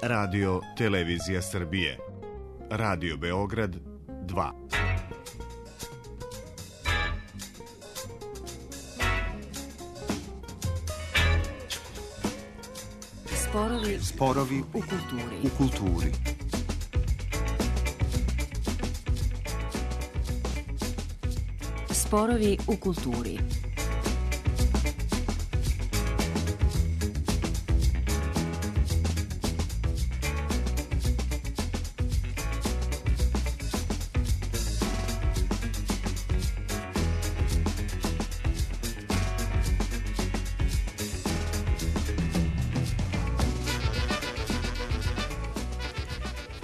Radio Televizija Srbije, Radio Beograd 2. Sporovi u kulturi. Sporovi u kulturi.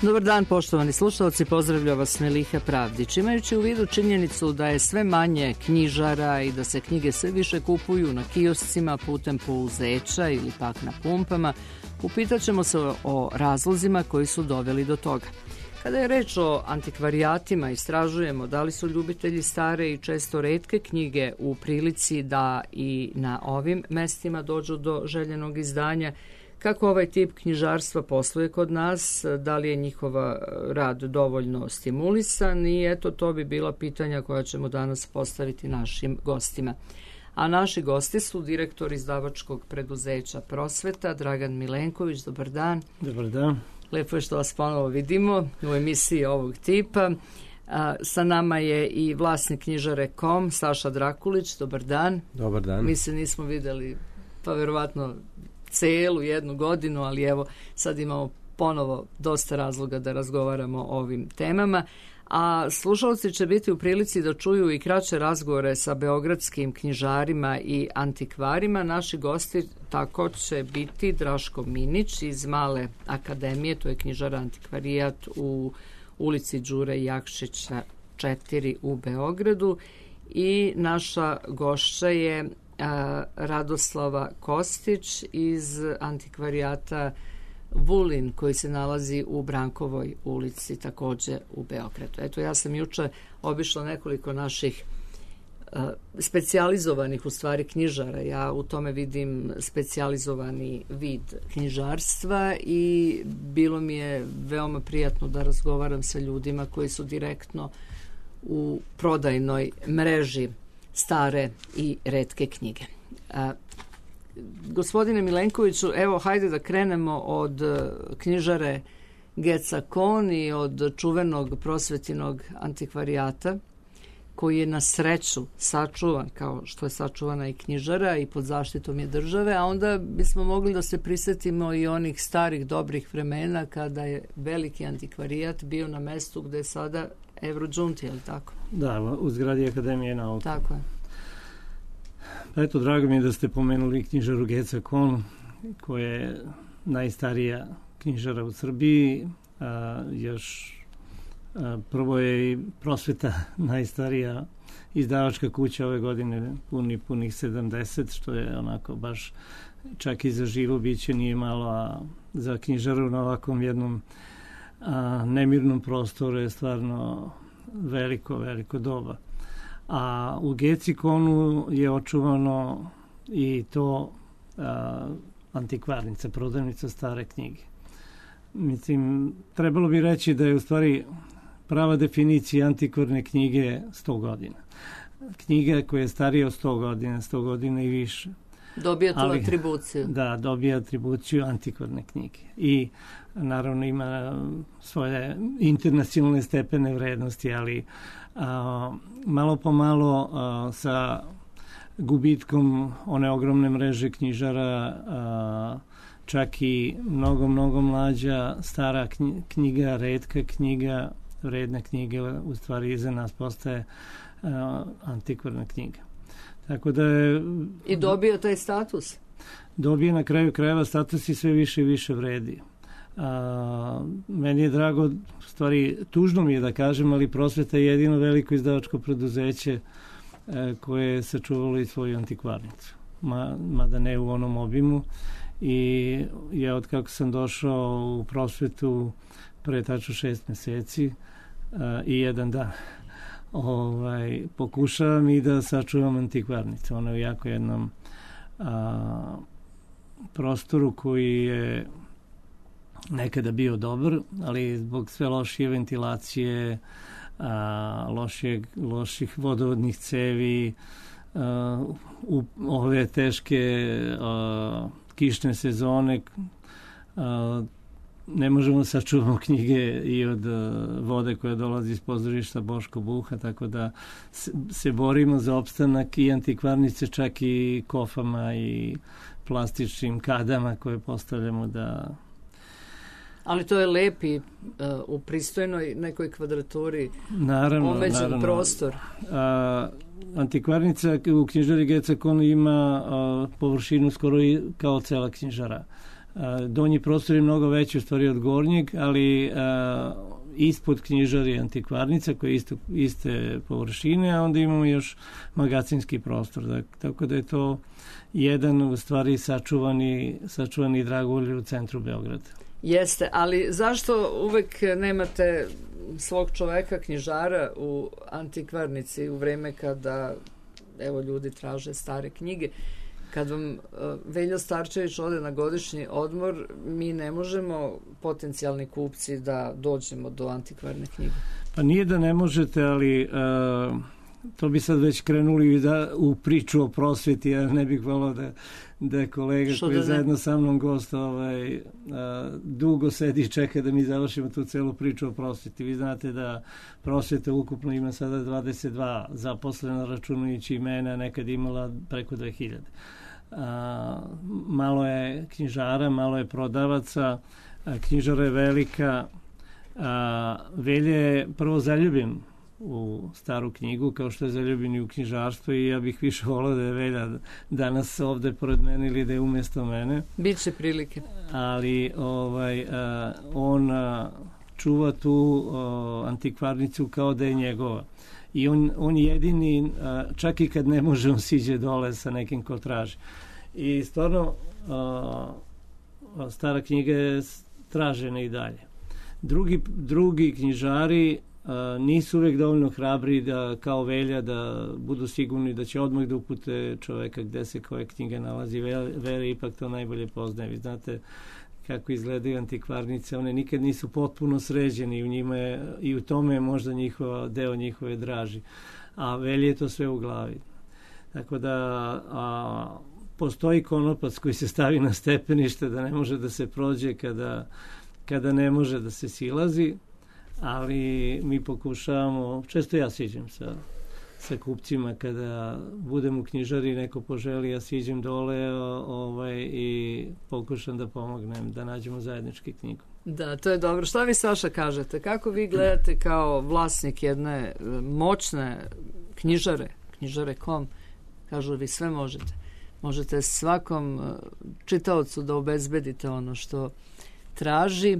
Dobar dan, poštovani slušalci, pozdravlja vas Meliha Pravdić. Imajući u vidu činjenicu da je sve manje knjižara i da se knjige sve više kupuju na kioscima putem pouzeća ili pak na pumpama, upitat ćemo se o razlozima koji su doveli do toga. Kada je reč o antikvarijatima, istražujemo da li su ljubitelji stare i često retke knjige u prilici da i na ovim mestima dođu do željenog izdanja, kako ovaj tip knjižarstva posluje kod nas, da li je njihova rad dovoljno stimulisan i eto to bi bila pitanja koja ćemo danas postaviti našim gostima. A naši gosti su direktor izdavačkog preduzeća Prosveta, Dragan Milenković. Dobar dan. Dobar dan. Lepo je što vas ponovo vidimo u emisiji ovog tipa. Sa nama je i vlasnik knjižare KOM, Saša Drakulić. Dobar dan. Dobar dan. Mi se nismo videli pa verovatno celu jednu godinu, ali evo sad imamo ponovo dosta razloga da razgovaramo o ovim temama, a slušalci će biti u prilici da čuju i kraće razgovore sa beogradskim knjižarima i antikvarima. Naši gosti tako će biti Draško Minić iz Male akademije, to je knjižara antikvarijat u ulici Đure Jakšića 4 u Beogradu, i naša gošća je Radoslava Kostić iz antikvarijata Vulin koji se nalazi u Brankovoj ulici takođe u Beogradu. Eto, ja sam juče obišla nekoliko naših specijalizovanih u stvari knjižara. Ja u tome vidim specijalizovani vid knjižarstva i bilo mi je veoma prijatno da razgovaram sa ljudima koji su direktno u prodajnoj mreži stare i retke knjige. Gospodine Milenkoviću, evo hajde da krenemo od knjižare Geca Kon i od čuvenog prosvetinog antikvarijata koji je na sreću sačuvan kao što je sačuvana i knjižara i pod zaštitom je države, a onda bismo mogli da se prisetimo i onih starih dobrih vremena kada je veliki antikvarijat bio na mestu gde je sada Evrodžunti, je li tako? Da, u zgradi Akademije nauka. Tako je. Eto, drago mi je da ste pomenuli knjižaru Geca Kon, koja je najstarija knjižara u Srbiji. Prvo je i Prosveta najstarija izdavačka kuća ove godine, punih 70, što je onako baš čak i za živo biće nije malo, a za knjižaru na ovakvom jednom nemirnom prostoru je stvarno veliko doba. A u Geci Konu je očuvano i to antikvarnica, prodavnica stare knjige. Mislim, trebalo bi reći da je u stvari prava definicija antikvarne knjige 100 godina. Knjiga koja je starija od 100 godina i više. Dobija tu atribuciju. Da, dobija atribuciju antikvarne knjige. I naravno ima svoje internacionalne stepene vrednosti, ali malo po malo sa gubitkom one ogromne mreže knjižara, čak i mnogo mlađa stara knjiga, retka knjiga, vredna knjiga u stvari iza nas postaje antikvarna knjiga. Tako da je... I dobio taj status? Dobije na kraju krajeva status i sve više i više vredi. Meni je drago, u stvari tužno mi je da kažem, ali Prosveta je jedino veliko izdavačko preduzeće koje je sačuvalo i svoju antikvarnicu. Mada ne u onom obimu. I ja od kako sam došao u Prosvetu pre tačno 6 meseci i 1 dan pokušavam i da sačuvam antikvarnicu. Ona je u jako jednom prostoru koji je nekada bio dobar, ali zbog sve lošije ventilacije, loših vodovodnih cevi, u ove teške kišne sezone ne možemo sačuvati knjige i od vode koja dolazi iz pozorišta Boško Buha, tako da se borimo za opstanak i antikvarnice, čak i kofama i plastičnim kadama koje postavljamo da... Ali to je lepi u pristojnoj nekoj kvadraturi omeđen prostor. Antikvarnica u knjižari Gecakon ima površinu skoro kao cela knjižara. Donji prostor je mnogo veći u stvari od gornjeg, ali ispod knjižari je antikvarnica koja je iste površine, a onda imamo još magacinski prostor. Tako da je to jedan u stvari sačuvani dragulj u centru Beograda. Jeste, ali zašto uvek nemate svog čoveka, knjižara u antikvarnici u vreme kada ljudi traže stare knjige? Kad vam Veljo Starčević ode na godišnji odmor, mi ne možemo, potencijalni kupci, da dođemo do antikvarne knjige. Pa nije da ne možete, ali to bi sad već krenuli u priču o prosveti. Ja ne bih volao da je kolega koji je zajedno sa mnom gost dugo sedi i čeka da mi završimo tu celu priču o prosveti. Vi znate da prosveta ukupno ima sada 22 zaposlena, računajući i mene, nekad imala preko 2000. Malo je knjižara, malo je prodavaca, knjižara je velika. Velje je prvo zaljubljen u staru knjigu, kao što je zaljubljen i u knjižarstvo, i ja bih više volao da je Velja danas ovde pored mene ili da je umjesto mene. Biće prilike. Ali on čuva tu antikvarnicu kao da je njegova. I on jedini, čak i kad ne može, on siđe dole sa nekim ko traži. I stvarno, stara knjiga je tražena i dalje. Drugi knjižari nisu uvijek dovoljno hrabri da, kao Velja, da budu sigurni da će odmah da upute čoveka gde se koja knjiga nalazi. Velja ipak to najbolje poznaje. Vi znate kako izgledaju antikvarnice, one nikad nisu potpuno sređene i u tome je možda deo njihove draži. A Velje je to sve u glavi. Tako da postoji konopac koji se stavi na stepenište da ne može da se prođe kada ne može da se silazi, ali mi pokušavamo, često ja siđem sa kupcima kada budem u knjižari, neko poželi, ja siđem dole i pokušam da pomognem da nađemo zajednički knjigu. Da, to je dobro. Šta vi, Saša, kažete? Kako vi gledate kao vlasnik jedne moćne knjižare.com? Kažu, vi sve možete. Možete svakom čitaocu da obezbedite ono što traži.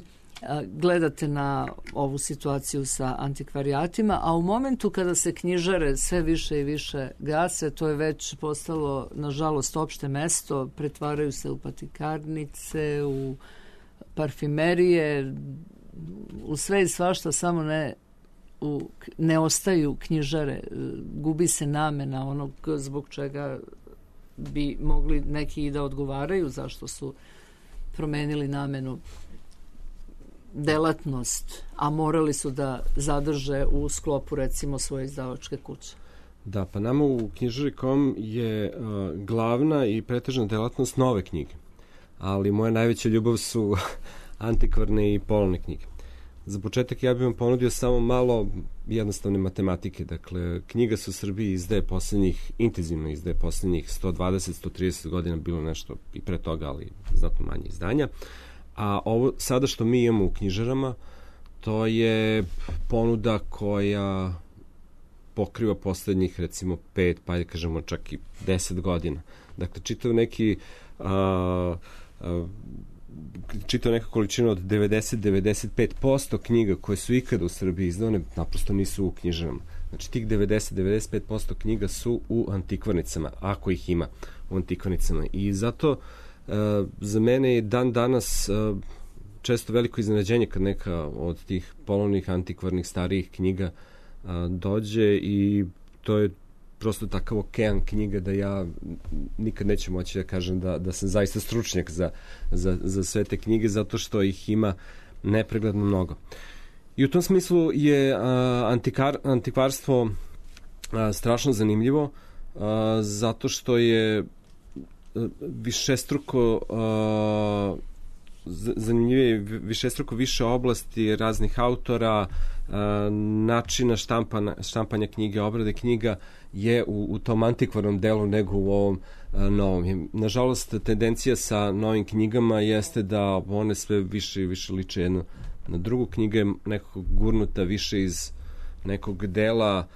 Gledate na ovu situaciju sa antikvarijatima, a u momentu kada se knjižare sve više i više gase, to je već postalo, nažalost, opšte mesto, pretvaraju se u patikarnice, u parfimerije, u sve i svašta, samo ne ostaju knjižare, gubi se namena onog zbog čega bi mogli neki i da odgovaraju zašto su promenili namenu, delatnost, a morali su da zadrže u sklopu, recimo, svoje izdavačke kuće. Da, pa nama u knjižari.com je glavna i pretežna delatnost nove knjige, ali moja najveća ljubav su antikvarne i polovne knjige. Za početak ja bih vam ponudio samo malo jednostavne matematike. Dakle, knjiga se u Srbiji intenzivno izdaje poslednjih 120-130 godina, bilo nešto i pre toga, ali znatno manje izdanja. A ovo sada što mi imamo u knjižarama, to je ponuda koja pokriva poslednjih, recimo, 5, pa kažemo čak i 10 godina. Dakle, čitao neka količina od 90-95% knjiga koje su ikada u Srbiji izdane, naprosto nisu u knjižarama. Znači, tih 90-95% knjiga su u antikvarnicama, ako ih ima u antikvarnicama. I zato za mene je dan danas često veliko iznenađenje kad neka od tih polovnih, antikvarnih, starijih knjiga dođe, i to je prosto takav okean knjiga da ja nikad neću moći da kažem da sam zaista stručnjak za sve te knjige, zato što ih ima nepregledno mnogo. I u tom smislu je antikvarstvo strašno zanimljivo, zato što je višestruko zanimljivije, višestruko više oblasti raznih autora, načina štampanja knjige, obrade knjiga je u tom antikvarnom delu nego u ovom novom. Nažalost, tendencija sa novim knjigama jeste da one sve više i više liče jedno na drugu. Knjiga je nekako gurnuta više iz nekog dela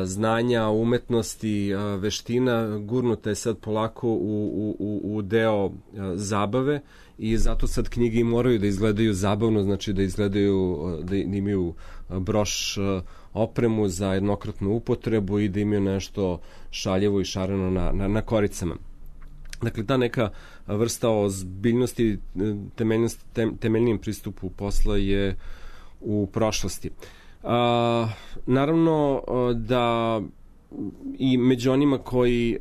znanja, umetnosti, veština, gurnuta je sad polako u deo zabave i zato sad knjige moraju da izgledaju zabavno, znači da izgledaju, da imaju broš opremu za jednokratnu upotrebu i da imaju nešto šaljevo i šareno na koricama. Dakle, ta neka vrsta ozbiljnosti, temeljnijem pristupu posla je u prošlosti. Naravno da i među onima koji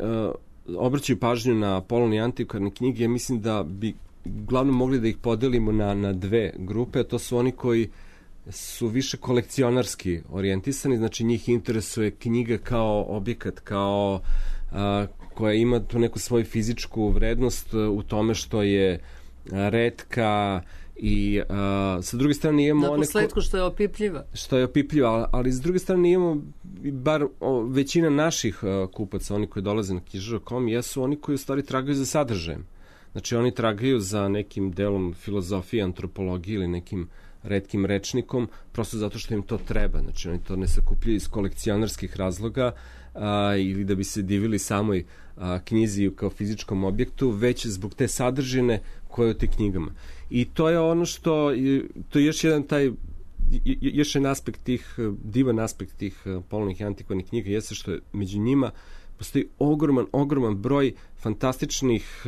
obraćaju pažnju na polovne i antikvarne knjige, ja mislim da bi uglavnom mogli da ih podelimo na dve grupe. To su oni koji su više kolekcionarski orijentisani, znači njih interesuje knjiga kao objekat, kao koja ima tu neku svoju fizičku vrednost u tome što je retka i sa druge strane imamo... Na posledku što je opipljiva. Što je opipljiva, ali s druge strane imamo bar većina naših kupaca, oni koji dolaze na knjižara.com, jesu oni koji u stvari tragaju za sadržajem. Znači oni tragaju za nekim delom filozofije, antropologije ili nekim retkim rečnikom, prosto zato što im to treba. Znači oni to ne sakupljaju iz kolekcionarskih razloga ili da bi se divili samoj knjizi kao fizičkom objektu, već zbog te sadržine koje je u te knjigama. I to je ono što, to je još jedan aspekt tih, divan aspekt tih polovnih i antikvarnih knjiga, jeste što je među njima postoji ogroman broj fantastičnih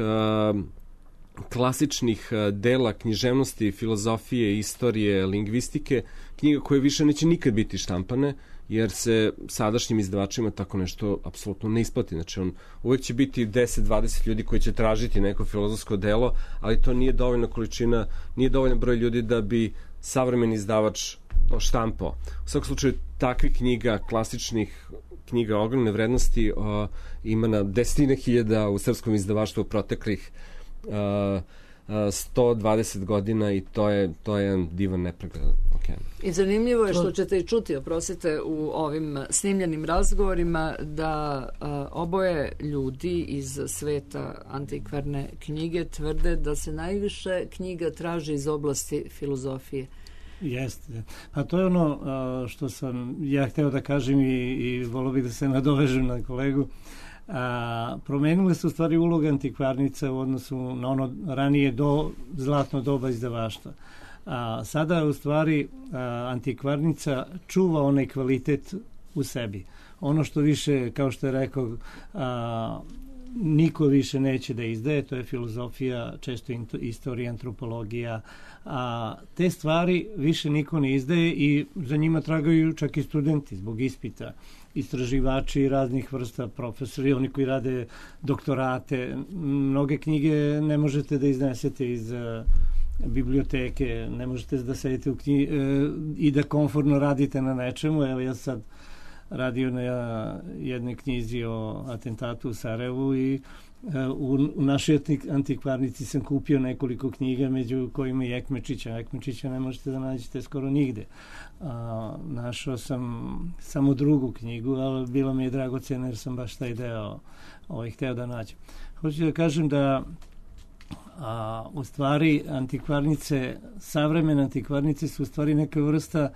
klasičnih dela književnosti, filozofije, istorije, lingvistike, knjiga koje više neće nikad biti štampane, jer se sadašnjim izdavačima tako nešto apsolutno ne isplati. Znači, uvek će biti 10-20 ljudi koji će tražiti neko filozofsko delo, ali to nije dovoljna količina, nije dovoljan broj ljudi da bi savremeni izdavač to štampao. U svakom slučaju, takvih knjiga, klasičnih knjiga ogromne vrednosti ima na 10.000 u srpskom izdavaštvu proteklih 120 godina i to je jedan divan nepregledan okean. I zanimljivo je što ćete i čuti, oprostite, u ovim snimljenim razgovorima da oboje ljudi iz sveta antikvarne knjige tvrde da se najviše knjiga traži iz oblasti filozofije. Jeste. Pa to je ono što sam ja hteo da kažem i volio bih da se nadovežem na kolegu. Promenile su u stvari uloga antikvarnica u odnosu na ono ranije zlatno doba izdavaštva. Sada u stvari antikvarnica čuva onaj kvalitet u sebi. Ono što više, kao što je rekao, niko više neće da izdaje, to je filozofija, često istorija, antropologija. Te stvari više niko ne izdaje i za njima tragaju čak i studenti zbog ispita, istraživači raznih vrsta, profesori, oni koji rade doktorate. Mnoge knjige ne možete da iznesete iz biblioteke, ne možete da sedite i da komfortno radite na nečemu. Evo ja sad radio na jednoj knjizi o atentatu u Sarajevu i u našoj antikvarnici sam kupio nekoliko knjiga, među kojima i Ekmečića. Ekmečića ne možete da nađete skoro nigde. Našao sam samo drugu knjigu, ali bilo mi je dragoceno jer sam baš taj deo hteo da nađem. Hoću da kažem da u stvari antikvarnice, savremene antikvarnice su u stvari neka vrsta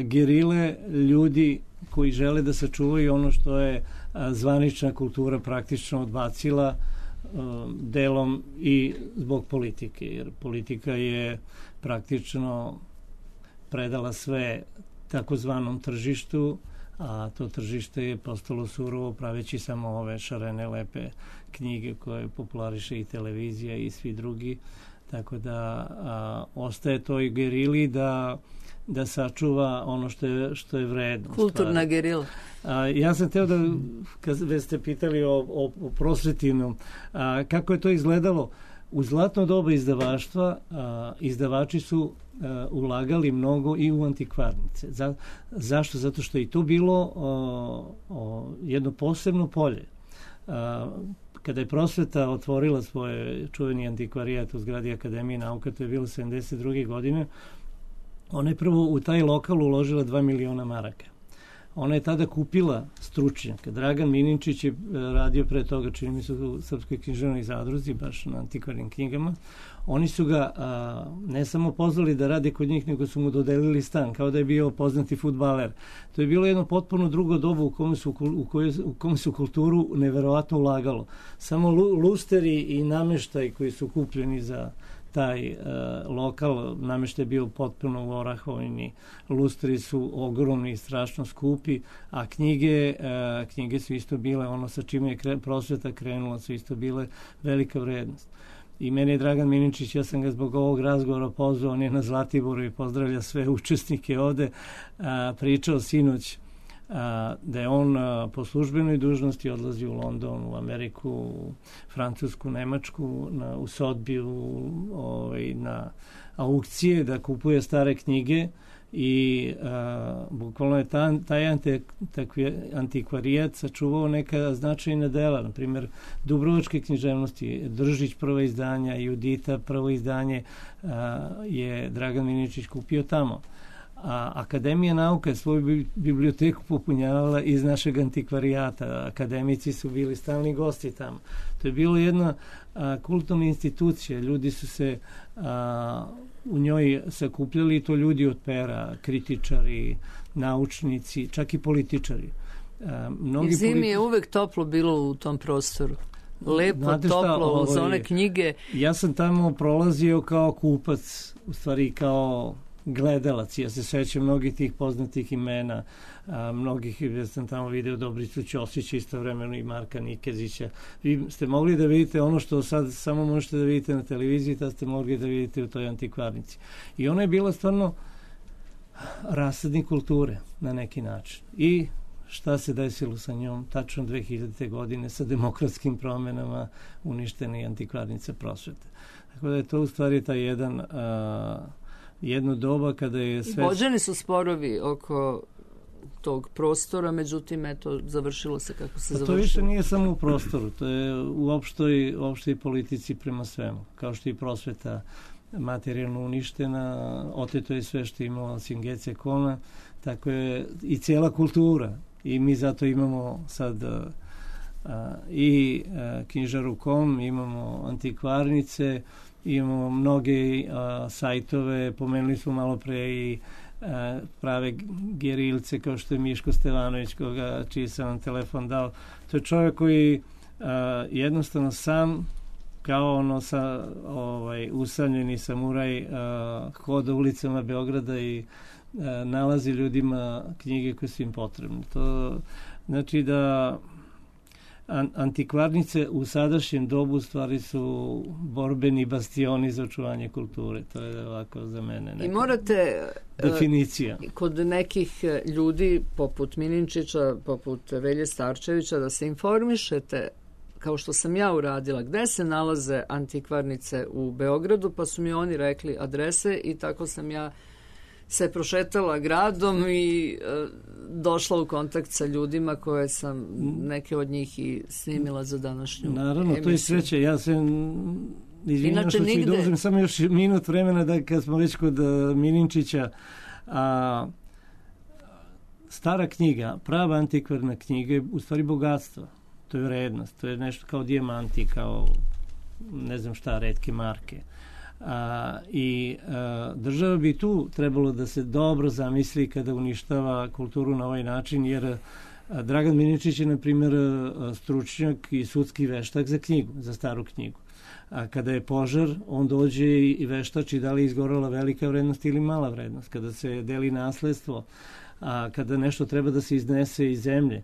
gerile ljudi koji žele da sačuvaju ono što je zvanična kultura praktično odbacila delom i zbog politike, jer politika je praktično predala sve takozvanom tržištu, a to tržište je postalo surovo praveći samo ove šarene lepe knjige koje populariše i televizija i svi drugi, tako da ostaje toj gerili da da sačuva ono što je vredno. Kulturna gerila. Ja sam teo da, kad ste pitali o prosvetinu, kako je to izgledalo, u zlatno doba izdavaštva izdavači su ulagali mnogo i u antikvarnice. Zašto? Zato što je i to bilo jedno posebno polje. Kada je prosveta otvorila svoje čuveni antikvarijat u zgradi Akademije nauka, to je bilo 72. godine, ona je prvo u taj lokal uložila 2 miliona maraka. Ona je tada kupila stručnjaka. Dragan Mininčić je radio pre toga, čini mi se, u Srpskoj književnoj zadruzi, baš na antikvarnim knjigama. Oni su ga ne samo pozvali da rade kod njih, nego su mu dodelili stan, kao da je bio poznati fudbaler. To je bilo jedno potpuno drugo doba u kome su kulturu neverovatno ulagalo. Samo lusteri i nameštaj koji su kupljeni za taj lokal, nameštaj je bio potpuno u Orahovini, lustri su ogromni i strašno skupi, a knjige su isto bile, ono sa čime je prosveta krenula, su isto bile velika vrednost. I meni je Dragan Mininčić, ja sam ga zbog ovog razgovora pozvao, on je na Zlatiboru i pozdravlja sve učesnike ovde, pričao sinoć da je on po službenoj dužnosti odlazi u London, u Ameriku, u Francusku, Nemačku, u Sotbiju, na aukcije da kupuje stare knjige i bukvalno je taj antikvarijat sačuvao neka značajna dela, na primjer Dubrovačke književnosti, Držić prvo izdanja, Judita prvo izdanje je Dragan Mininčić kupio tamo. A Akademija nauka je svoju biblioteku popunjavala iz našeg antikvarijata. Akademici su bili stalni gosti tamo. To je bilo jedna kulturna institucija. Ljudi su se u njoj sakupljali, to ljudi od pera, kritičari, naučnici, čak i političari. I zimi je uvek toplo bilo u tom prostoru. Lepo, toplo, uz one knjige. Ja sam tamo prolazio kao kupac, u stvari kao gledalac. Ja se sećam mnogih tih poznatih imena, mnogih, ja sam tamo video Dobricu Ćosića, istovremeno i Marka Nikezića. Vi ste mogli da vidite ono što sad samo možete da vidite na televiziji, tad ste mogli da vidite u toj antikvarnici. I ona je bila stvarno rasadnik kulture na neki način. I šta se desilo sa njom? Tačno 2000. godine sa demokratskim promenama uništena je antikvarnica prosvete. Tako da je to u stvari taj jedno doba kada je sve... Vođeni su sporovi oko tog prostora, međutim, eto, završilo se kako se završilo. To više nije samo u prostoru, to je u opštoj politici prema svemu. Kao što je prosveta materijalno uništena, oteto je sve što je imala Singece Kona, tako je i cijela kultura. I mi zato imamo sad i knjižaru.com, imamo antikvarnice, imamo mnoge sajtove, pomenuli smo malo pre i prave gerilce kao što je Miško Stevanović, čiji sam vam telefon dao. To je čovjek koji jednostavno sam kao ono usamljeni samuraj hoda ulicama Beograda i nalazi ljudima knjige koje su im potrebne. To znači da antikvarnice u sadašnjem dobu stvari su borbeni bastioni za očuvanje kulture. To je ovako za mene neka definicija. Kod nekih ljudi poput Mininčića, poput Velje Starčevića, da se informišete, kao što sam ja uradila, gde se nalaze antikvarnice u Beogradu, pa su mi oni rekli adrese i tako sam ja se prošetala gradom i došla u kontakt sa ljudima koje sam neke od njih i snimila za današnju Naravno, emisiju. to je sreće. Ja se izvinjam što ću dozim samo još minut vremena da kad smo već kod Mininčića, stara knjiga, prava antikvarna knjiga je u stvari bogatstvo. To je vrednost. To je nešto kao dijamanti, kao ne znam šta, retke marke. Država bi tu trebalo da se dobro zamisli kada uništava kulturu na ovaj način, jer Dragan Mininčić je, na primjer, stručnjak i sudski veštak za knjigu, za staru knjigu. A kada je požar, on dođe i veštači da li je izgorela velika vrednost ili mala vrednost. Kada se deli nasledstvo, kada nešto treba da se iznese iz zemlje,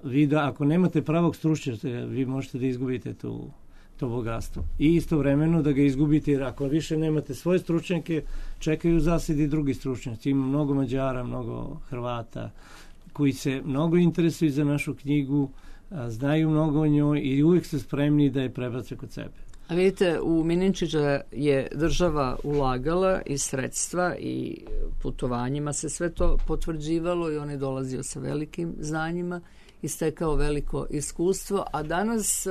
vi da, ako nemate pravog stručnjaka, vi možete da izgubite tu to bogatstvo. I istovremeno da ga izgubite, jer ako više nemate svoje stručnjake, čekaju zasedi drugi stručnjaci. Ima mnogo Mađara, mnogo Hrvata koji se mnogo interesuju za našu knjigu, znaju mnogo o njoj i uvijek su spremni da je prebace kod sebe. A vidite, u Mininčića je država ulagala i sredstva i putovanjima se sve to potvrđivalo i on je dolazio sa velikim znanjima i stekao veliko iskustvo, a danas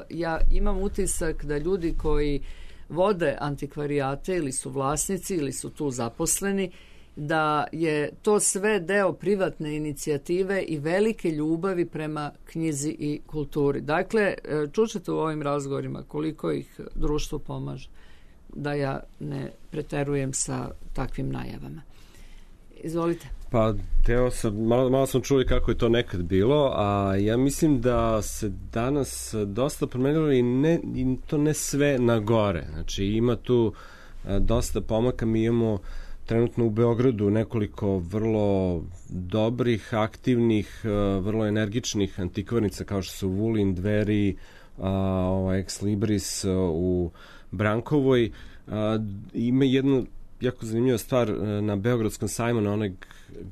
ja imam utisak da ljudi koji vode antikvarijate ili su vlasnici ili su tu zaposleni, da je to sve deo privatne inicijative i velike ljubavi prema knjizi i kulturi. Dakle, čućete u ovim razgovorima koliko ih društvo pomaže, da ja ne preterujem sa takvim najavama. Izvolite. Pa, malo smo čuli kako je to nekad bilo, a ja mislim da se danas dosta promenilo i to ne sve na gore. Znači, ima tu dosta pomaka. Mi imamo trenutno u Beogradu nekoliko vrlo dobrih, aktivnih, vrlo energičnih antikvarnica kao što su Vulin, Dveri, Ex Libris u Brankovoj. Ima jednu jako zanimljiva stvar na Beogradskom sajmu, na onoj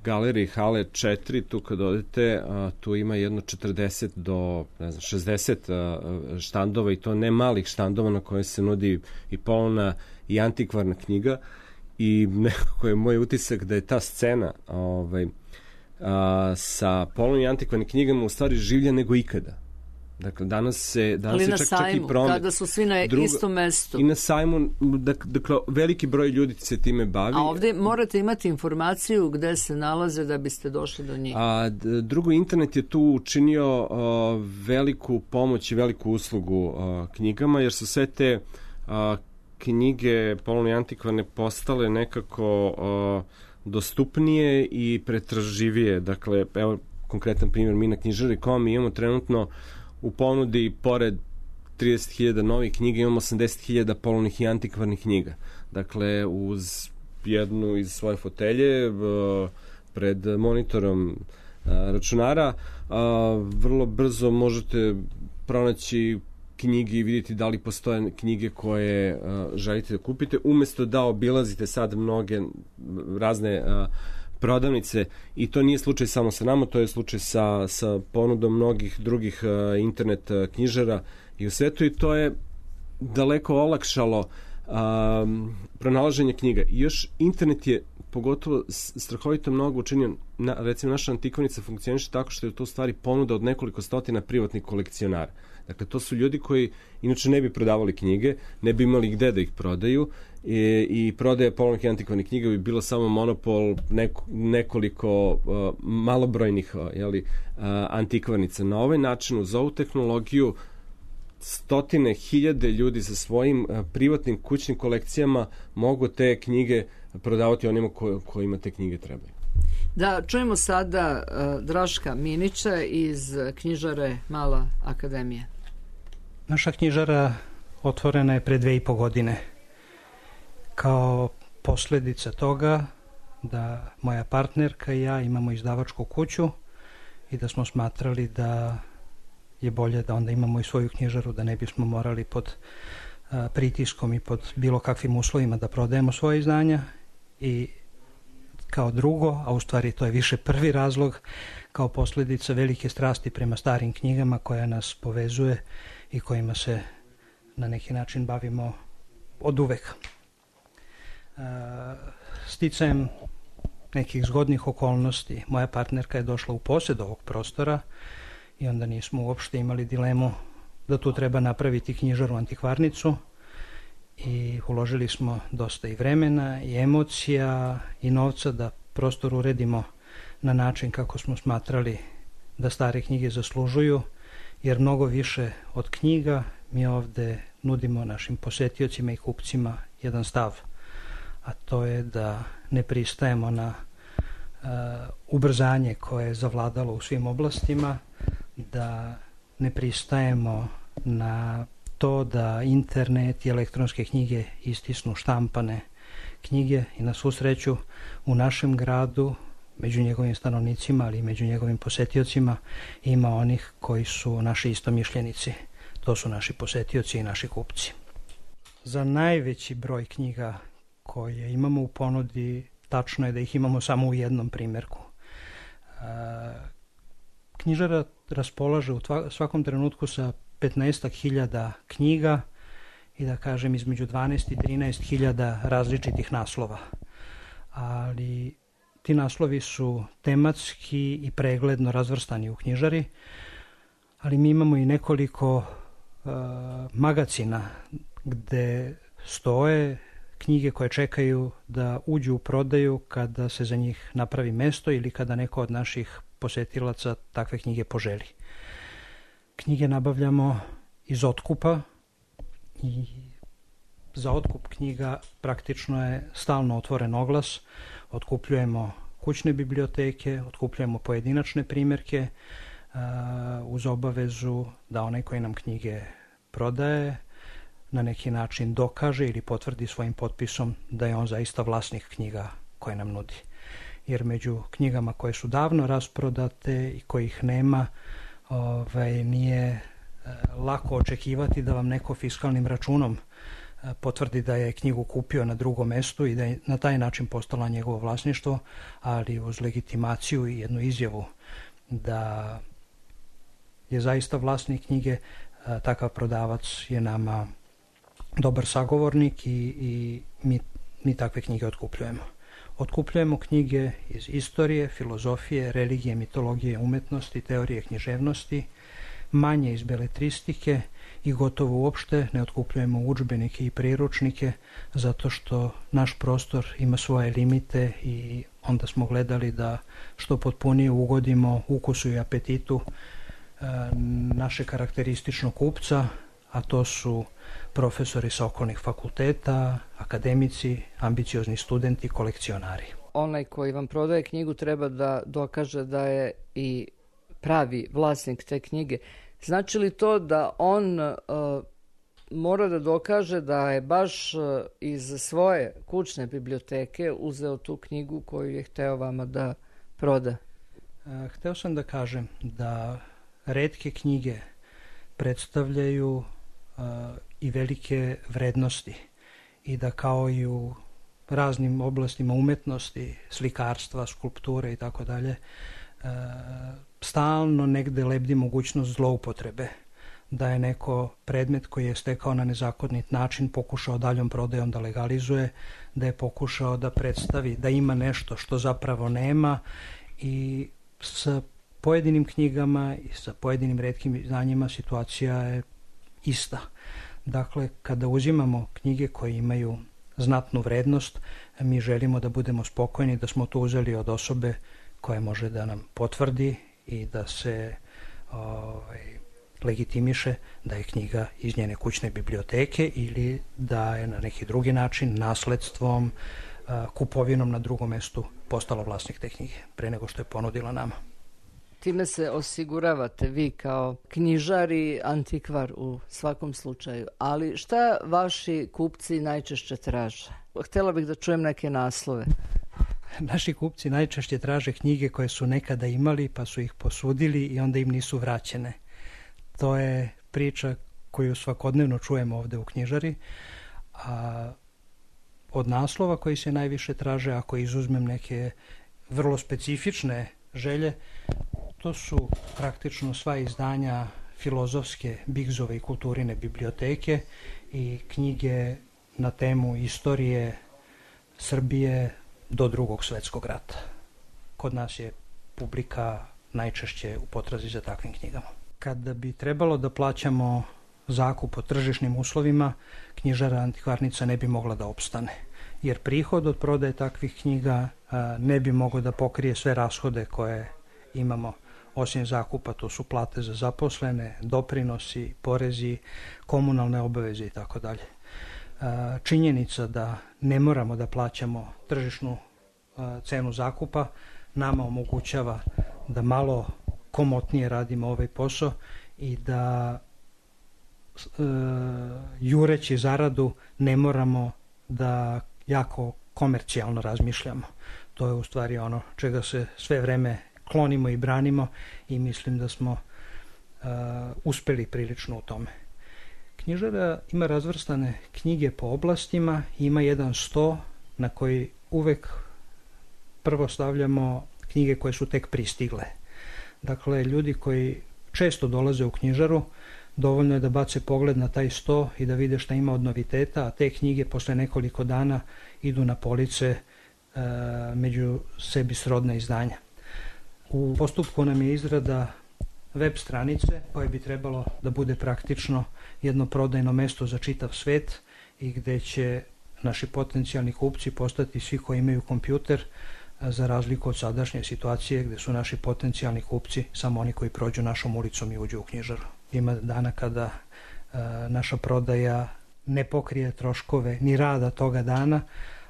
galeriji Hale 4, tu kad odete, tu ima jedno 40 do 60 štandova i to ne malih štandova na koje se nudi i polovna i antikvarna knjiga. I nekako je moj utisak da je ta scena sa polovnim i antikvarnim knjigama u stvari življa nego ikada. Dakle, danas se čak i promet. Kada su svi na istom mestu. I na sajmu, dakle, veliki broj ljudi se time bavi. A ovdje morate imati informaciju gde se nalaze da biste došli do njih. Drugo, internet je tu učinio veliku pomoć i veliku uslugu knjigama, jer su sve te knjige polovne i antikvarne postale nekako dostupnije i pretraživije. Dakle, evo konkretan primjer, mi na knjižari.com imamo trenutno u ponudi, pored 30.000 novih knjiga, imamo 80.000 polovnih i antikvarnih knjiga. Dakle, uz jednu iz svoje fotelje, pred monitorom računara, vrlo brzo možete pronaći knjige i vidjeti da li postoje knjige koje želite da kupite, umesto da obilazite sad mnoge razne prodavnice, i to nije slučaj samo sa nama, to je slučaj sa ponudom mnogih drugih internet knjižara i u svetu, i to je daleko olakšalo pronalaženje knjiga. I još internet je pogotovo strahovito mnogo učinio. Recimo, naša antikvarnica funkcioniše tako što je to u stvari ponuda od nekoliko stotina privatnih kolekcionara. Dakle, to su ljudi koji inače ne bi prodavali knjige, ne bi imali gde da ih prodaju, i prodaja polovnih i antikvarnih knjiga bi bilo samo monopol nekoliko malobrojnih antikvarnica. Na ovaj način, uz ovu tehnologiju, stotine, hiljade ljudi sa svojim privatnim kućnim kolekcijama mogu te knjige prodavati onima kojima te knjige trebaju. Da, čujemo sada Draška Minića iz knjižare Mala akademija. Naša knjižara otvorena je pre 2,5 godine. Kao posljedica toga da moja partnerka i ja imamo izdavačku kuću i da smo smatrali da je bolje da onda imamo i svoju knjižaru, da ne bismo morali pod pritiskom i pod bilo kakvim uslovima da prodajemo svoje izdanja. I kao drugo, a u stvari to je više prvi razlog, kao posljedica velike strasti prema starim knjigama koja nas povezuje i kojima se na neki način bavimo od uvek. Sticajem nekih zgodnih okolnosti moja partnerka je došla u posjed ovog prostora i onda nismo uopšte imali dilemu da tu treba napraviti knjižaru antikvarnicu, i uložili smo dosta i vremena i emocija i novca da prostor uredimo na način kako smo smatrali da stare knjige zaslužuju, jer mnogo više od knjiga mi ovde nudimo našim posetiocima i kupcima jedan stav, a to je da ne pristajemo na ubrzanje koje je zavladalo u svim oblastima, da ne pristajemo na to da internet i elektronske knjige istisnu štampane knjige, i na svu sreću u našem gradu, među njegovim stanovnicima, ali i među njegovim posetiocima, ima onih koji su naši istomišljenici. to su naši posetioci i naši kupci. Za najveći broj knjiga koje imamo u ponudi, tačno je da ih imamo samo u jednom primjerku. Knjižara raspolaže u svakom trenutku sa 15.000 knjiga i da kažem između 12 i 13.000 različitih naslova. Ali ti naslovi su tematski i pregledno razvrstani u knjižari, ali mi imamo i nekoliko magacina gde stoje knjige koje čekaju da uđu u prodaju kada se za njih napravi mesto ili kada neko od naših posetilaca takve knjige poželi. Knjige nabavljamo iz otkupa i za otkup knjiga praktično je stalno otvoren oglas. Otkupljujemo kućne biblioteke, otkupljujemo pojedinačne primjerke uz obavezu da onaj koji nam knjige prodaje na neki način dokaže ili potvrdi svojim potpisom da je on zaista vlasnik knjiga koje nam nudi. Jer među knjigama koje su davno rasprodate i kojih nema, nije lako očekivati da vam neko fiskalnim računom potvrdi da je knjigu kupio na drugom mestu i da je na taj način postala njegovo vlasništvo, ali uz legitimaciju i jednu izjavu da je zaista vlasnik knjige, takav prodavac je nama dobar sagovornik i mi takve knjige otkupljujemo. Otkupljujemo knjige iz istorije, filozofije, religije, mitologije, umetnosti, teorije književnosti, manje iz beletristike i gotovo uopšte ne otkupljujemo udžbenike i priručnike zato što naš prostor ima svoje limite i onda smo gledali da što potpunije ugodimo ukusu i apetitu naše karakterističnog kupca, a to su profesori sa okolnih fakulteta, akademici, ambiciozni studenti, kolekcionari. Onaj koji vam prodaje knjigu treba da dokaže da je i pravi vlasnik te knjige. Znači li to da on mora da dokaže da je baš iz svoje kućne biblioteke uzeo tu knjigu koju je hteo vama da proda? Hteo sam da kažem da retke knjige predstavljaju i velike vrednosti i da kao i u raznim oblastima umetnosti, slikarstva, skulpture i tako dalje, stalno negde lebdi mogućnost zloupotrebe, da je neko predmet koji je stekao na nezakonit način pokušao daljom prodajom da legalizuje, da je pokušao da predstavi da ima nešto što zapravo nema i sa pojedinim knjigama i sa pojedinim retkim znanjima situacija je ista. Dakle, kada uzimamo knjige koje imaju znatnu vrednost, mi želimo da budemo spokojni da smo to uzeli od osobe koja može da nam potvrdi i da se legitimiše da je knjiga iz njene kućne biblioteke ili da je na neki drugi način nasledstvom, kupovinom na drugom mestu postala vlasnik te knjige pre nego što je ponudila nama. Time se osiguravate vi kao knjižar i antikvar u svakom slučaju. Ali šta vaši kupci najčešće traže? Htjela bih da čujem neke naslove. Naši kupci najčešće traže knjige koje su nekada imali pa su ih posudili i onda im nisu vraćene. To je priča koju svakodnevno čujemo ovde u knjižari. A od naslova koji se najviše traže, ako izuzmem neke vrlo specifične želje, to su praktično sva izdanja filozofske, Bigzove i kulturine biblioteke i knjige na temu istorije Srbije do Drugog svetskog rata. Kod nas je publika najčešće u potrazi za takvim knjigama. Kada bi trebalo da plaćamo zakup po tržišnim uslovima, knjižara antikvarnica ne bi mogla da opstane, jer prihod od prodaje takvih knjiga ne bi mogao da pokrije sve rashode koje imamo. Osim zakupa, to su plate za zaposlene, doprinosi, porezi, komunalne obaveze i tako dalje. Činjenica da ne moramo da plaćamo tržišnu cenu zakupa nama omogućava da malo komotnije radimo ovaj posao i da jureći zaradu ne moramo da jako komercijalno razmišljamo. To je u stvari ono čega se sve vreme klonimo i branimo i mislim da smo uspeli prilično u tome. Knjižara ima razvrstane knjige po oblastima i ima jedan sto na koji uvek prvo stavljamo knjige koje su tek pristigle. Dakle, ljudi koji često dolaze u knjižaru, dovoljno je da bace pogled na taj sto i da vide šta ima od noviteta, a te knjige posle nekoliko dana idu na police među sebi srodna izdanja. U postupku nam je izrada web stranice koje bi trebalo da bude praktično jedno prodajno mesto za čitav svet i gde će naši potencijalni kupci postati svi koji imaju kompjuter, za razliku od sadašnje situacije gde su naši potencijalni kupci samo oni koji prođu našom ulicom i uđu u knjižaru. Ima dana kada naša prodaja ne pokrije troškove ni rada toga dana,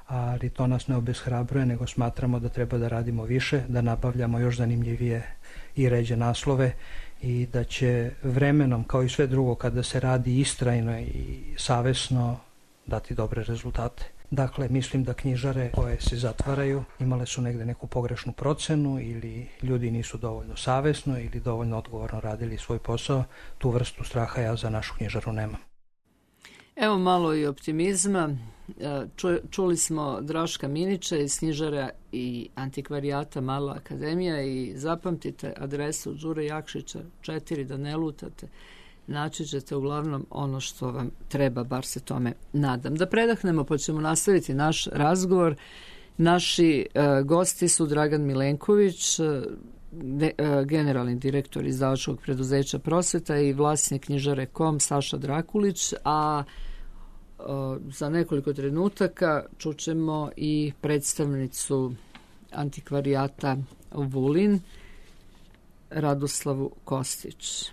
ali to nas ne obeshrabruje, nego smatramo da treba da radimo više, da nabavljamo još zanimljivije i ređe naslove i da će vremenom, kao i sve drugo, kada se radi istrajno i savesno, dati dobre rezultate. Dakle, mislim da knjižare koje se zatvaraju imale su negde neku pogrešnu procenu ili ljudi nisu dovoljno savesno ili dovoljno odgovorno radili svoj posao. Tu vrstu straha ja za našu knjižaru nemam. Evo malo i optimizma. Čuli smo Draška Minića iz knjižara i antikvarijata Mala akademija i zapamtite adresu Đure Jakšića 4 da ne lutate. Naći ćete uglavnom ono što vam treba, bar se tome nadam. Da predahnemo pa ćemo nastaviti naš razgovor. Naši gosti su Dragan Milenković, generalni direktor izdavačkog preduzeća Prosveta i vlasnik knjižare KOM Saša Drakulić, a za nekoliko trenutaka čućemo i predstavnicu antikvarijata Vulin, Radoslavu Kostić.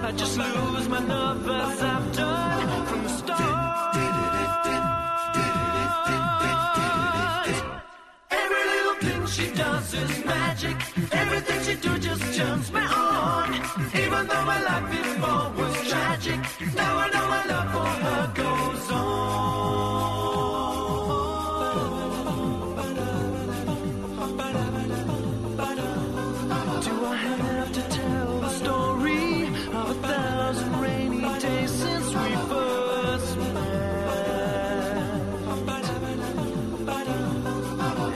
I just lose my nerve as I've done from the start. Every little thing she does is magic. Everything she do just turns me on. Even though my life before was tragic, now I know my love for her goes on. Do I have to tell the story of 1,000 rainy days since we first met?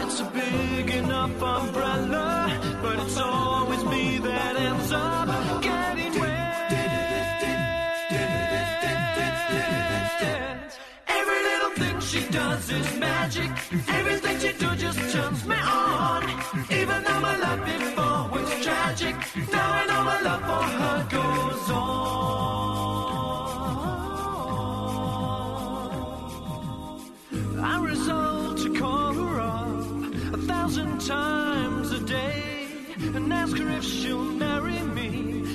It's a big enough umbrella, but it's always me that ends up getting wet. Every little thing she does is magic. Everything she do just turns me on. Even though my life before was tragic, now I know my love for her goes on. I resolve to call her up 1,000 times a day and ask her if she'll marry me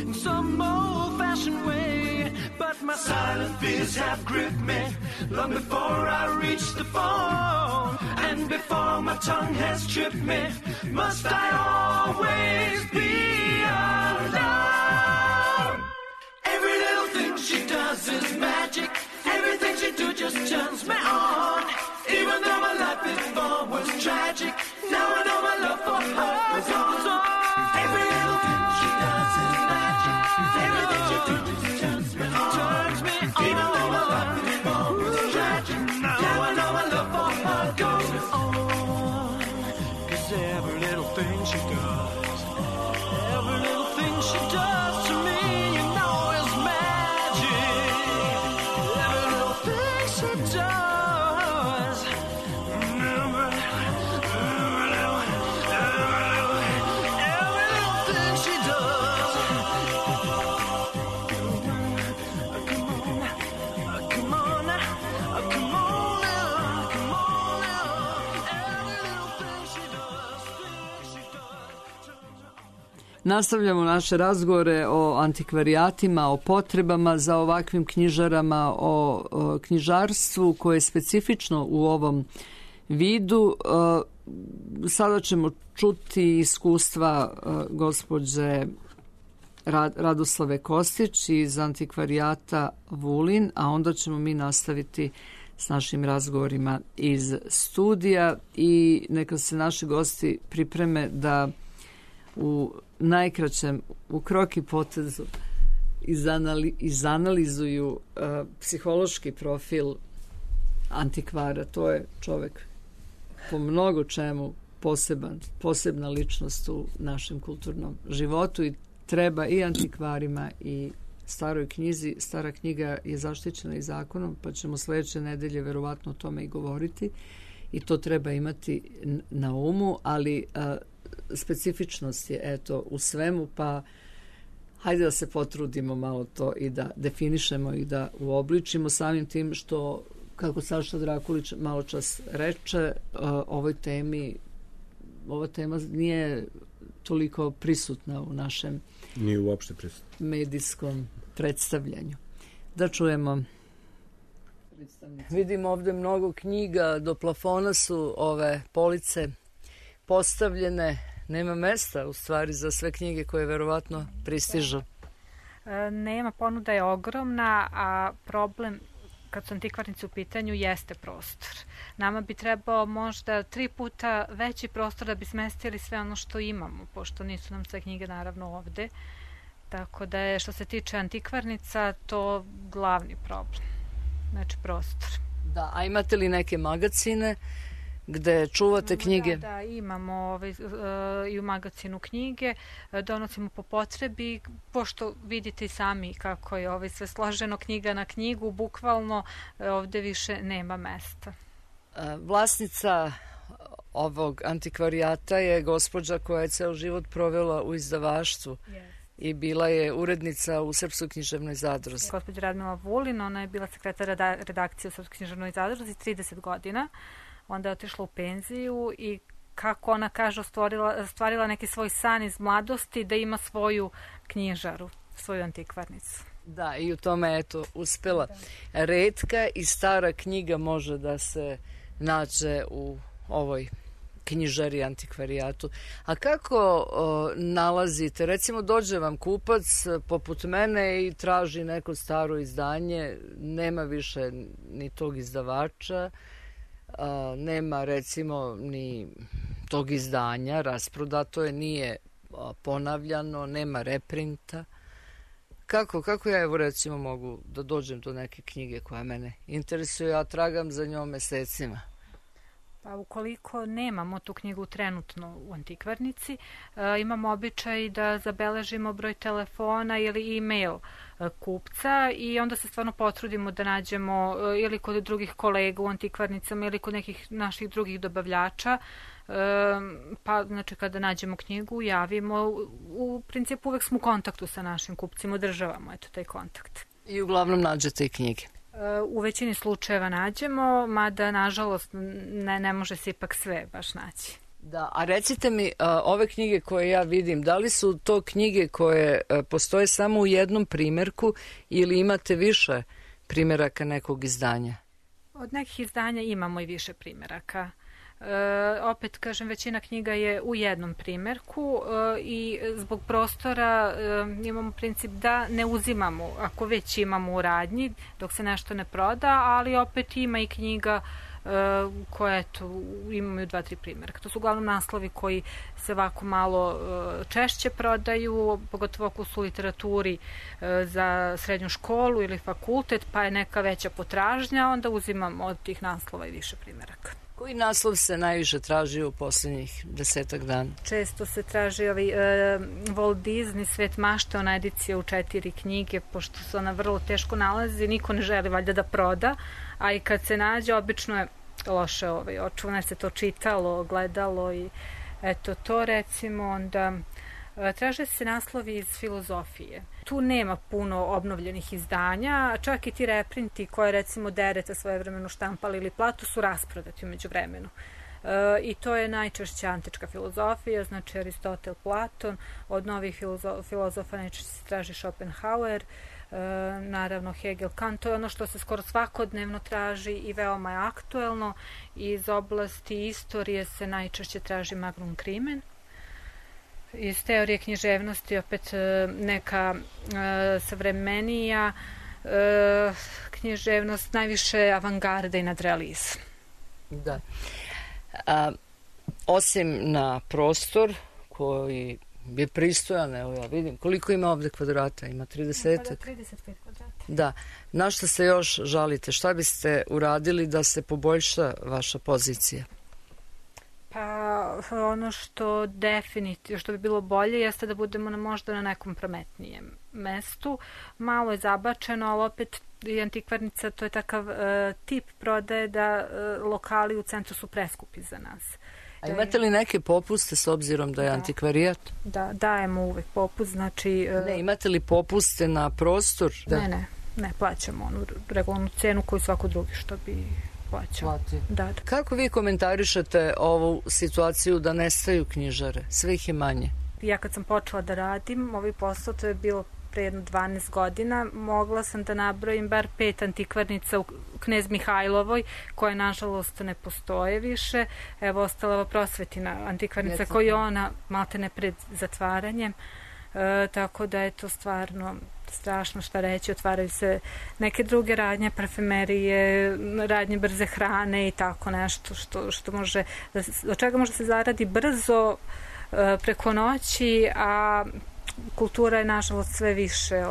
in some old-fashioned way. But my silent fears have gripped me long before I reach the phone, and before my tongue has tripped me, must I always be alone? Every little thing she does is magic. Everything she do just turns me on. Even though my life before was tragic, now I know my love for her goes on. Every little thing she does is magic. Everything she do just turns me on. Even though my life before was tragic, now I know my love for her goes on. 'Cause every little thing she does, every little thing she does to me, you know is magic. Every little thing she does, every little thing she does. Come on now, come on now, come on now. Every little thing she does. Nastavljamo naše razgovore o antikvarijatima, o potrebama za ovakvim knjižarama, o knjižarstvu koje je specifično u ovom vidu. Sada ćemo čuti iskustva gospođe Radoslave Kostić iz antikvarijata Vulin, a onda ćemo mi nastaviti s našim razgovorima iz studija i neka se naši gosti pripreme da u najkraćem, u krok i potezu izanalizuju psihološki profil antikvara. To je čovek po mnogo čemu posebna ličnost u našem kulturnom životu i treba i antikvarima i staroj knjizi. Stara knjiga je zaštićena i zakonom, pa ćemo sledeće nedelje verovatno o tome i govoriti i to treba imati na umu, ali specifičnost je eto u svemu, pa hajde da se potrudimo malo to i da definišemo i da uobličimo samim tim što, kako Saša Drakulić malo čas reče, ova tema nije toliko prisutna u našem nije uopšte prisutna medijskom predstavljanju. Da čujemo. Vidim ovde mnogo knjiga, do plafona su ove police postavljene, nema mesta u stvari za sve knjige koje verovatno pristižu. Nema, ponuda je ogromna, a problem kad su antikvarnici u pitanju jeste prostor. Nama bi trebao možda 3 puta veći prostor da bi smestili sve ono što imamo, pošto nisu nam sve knjige naravno ovde. Tako da je što se tiče antikvarnica to glavni problem. Znači prostor. Da, a imate li neke magacine gde čuvate knjige? Da, imamo i u magacinu knjige, donosimo po potrebi, pošto vidite i sami kako je sve složeno knjiga na knjigu, bukvalno ovde više nema mesta. Vlasnica ovog antikvarijata je gospođa koja je ceo život provela u izdavaštvu. I bila je urednica u Srpskoj književnoj zadruzi. Gospođa Radmila Vulin, ona je bila sekretar redakcije u Srpskoj književnoj zadruzi 30 godina. Onda je otišla u penziju i kako ona kaže, ostvarila neki svoj san iz mladosti da ima svoju knjižaru, svoju antikvarnicu. Da, i u tome eto uspela. Retka i stara knjiga može da se nađe u ovoj knjižari, antikvarijatu. A kako nalazite? Recimo dođe vam kupac poput mene i traži neko staro izdanje, nema više ni tog izdavača, nema recimo ni tog izdanja, rasprodato je, nije ponavljano, nema reprinta. Kako ja evo recimo mogu da dođem do neke knjige koja mene interesuje, ja tragam za njom mesecima? Pa ukoliko nemamo tu knjigu trenutno u antikvarnici, imamo običaj da zabeležimo broj telefona ili e-mail kupca i onda se stvarno potrudimo da nađemo ili kod drugih kolega u antikvarnicama ili kod nekih naših drugih dobavljača, pa znači kada nađemo knjigu javimo, u principu uvek smo u kontaktu sa našim kupcima, održavamo eto taj kontakt. I uglavnom nađete i knjige? U većini slučajeva nađemo, mada nažalost ne može se ipak sve baš naći. Da, a recite mi, ove knjige koje ja vidim, da li su to knjige koje postoje samo u jednom primerku ili imate više primeraka nekog izdanja? Od nekih izdanja imamo i više primeraka. Opet, kažem, većina knjiga je u jednom primerku i zbog prostora imamo princip da ne uzimamo, ako već imamo u radnji, dok se nešto ne proda, ali opet ima i knjiga koje imaju 2-3 primerka. To su uglavnom naslovi koji se ovako malo češće prodaju, pogotovo ako su u literaturi za srednju školu ili fakultet, pa je neka veća potražnja, onda uzimamo od tih naslova i više primeraka. Koji naslov se najviše traži u poslednjih 10 dana? Često se traži Walt Disney, Svet mašte, ona edicija u 4 knjige, pošto se ona vrlo teško nalazi, niko ne želi valjda da proda, a i kad se nađe, obično je loše očuvano, jer se to čitalo, gledalo i eto to recimo, onda traže se naslovi iz filozofije. Tu nema puno obnovljenih izdanja, čak i ti reprinti koje recimo Dereta svojevremeno štampali ili Platu su rasprodati umeđu vremenu. i to je najčešće antička filozofija, znači Aristotel, Platon, od novih filozofa najčešće se traži Schopenhauer, naravno Hegel, Kant, to je ono što se skoro svakodnevno traži i veoma je aktuelno. Iz oblasti istorije se najčešće traži Magnum Crimen. Iz teorije književnosti opet neka savremenija književnost, najviše avangarda i nadrealizam. Da. Osim na prostor koji je pristojan, evo ja vidim, koliko ima ovde kvadrata? Ima 30? 35 kvadrata. Da. Na što se još žalite? Šta biste uradili da se poboljša vaša pozicija? Pa ono što definitivno, što bi bilo bolje jeste da budemo možda na nekom prometnijem mestu. Malo je zabačeno, ali opet i antikvarnica, to je takav tip prodaje da lokali u centru su preskupi za nas. A imate li neke popuste s obzirom da je antikvarijat? Da, dajemo uvek popust, znači... Ne, imate li popuste na prostor? Ne, plaćamo onu regularnu cenu koju svako drugi što bi plaćao. Da. Kako vi komentarišete ovu situaciju da nestaju knjižare? Sve ih je manje. Ja kad sam počela da radim ovaj posao, to je bilo pre jedno 12 godina, mogla sam da nabrojim bar 5 antikvarnica u Knez Mihajlovoj, koje nažalost ne postoje više. Evo, ostala ova Prosvetina antikvarnica koju je ona maltene pred zatvaranjem. Tako da je to stvarno strašno šta reći. Otvaraju se neke druge radnje, parfumerije, radnje brze hrane i tako nešto što može, od čega može se zaradi brzo preko noći, a kultura je nažalost sve više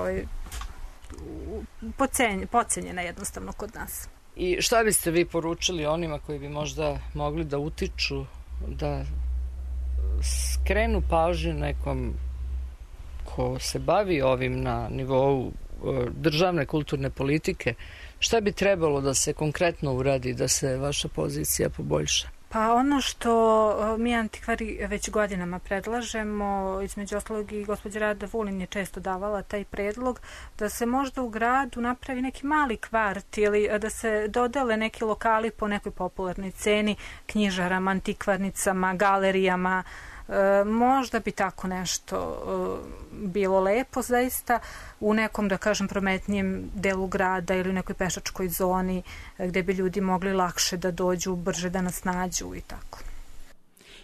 pocenjena jednostavno kod nas. I šta biste vi poručili onima koji bi možda mogli da utiču, da skrenu pažnju nekom ko se bavi ovim na nivou državne kulturne politike? Šta bi trebalo da se konkretno uradi da se vaša pozicija poboljša? Pa ono što mi antikvari već godinama predlažemo, između ostalog i gospođa Rada Vulin je često davala taj predlog, da se možda u gradu napravi neki mali kvart ili da se dodele neki lokali po nekoj popularnoj ceni knjižarama, antikvarnicama, galerijama. Možda bi tako nešto bilo lepo zaista u nekom, da kažem, prometnijem delu grada ili u nekoj pešačkoj zoni gde bi ljudi mogli lakše da dođu, brže da nas nađu i tako.